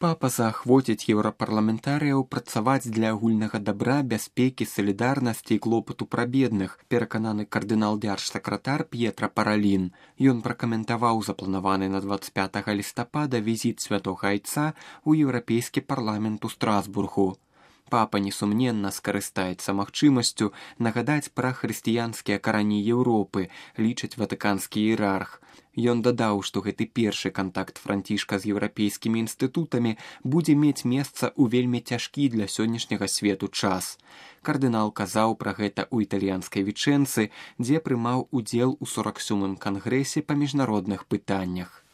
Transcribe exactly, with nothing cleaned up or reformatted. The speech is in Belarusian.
Папа заахвоціць еўрапарламентарыяў працаваць для агульнага дабра, бяспекі, салідарнасці і клопату пра бедных, перакананы кардынал-дзяржсакратар П'етра Паралін. Ён пракаментаваў запланаваны на дваццаць пятага лістапада візіт святога айца ў еўрапейскі парламент у Страсбургу. Папа несумненна скарыстаецца магчымасцю нагадаць пра хрысціянскія карані Еўропы, лічыць ватыканскі іерарх. Ён дадаў, што гэты першы кантакт Францішка з еўрапейскімі інстытутамі будзе мець месца ў вельмі цяжкі для сённяшняга свету час. Кардынал казаў пра гэта ў італьянскай Вічэнцы, дзе прымаў удзел у сорак сёмым кангрэсе па міжнародных пытаннях.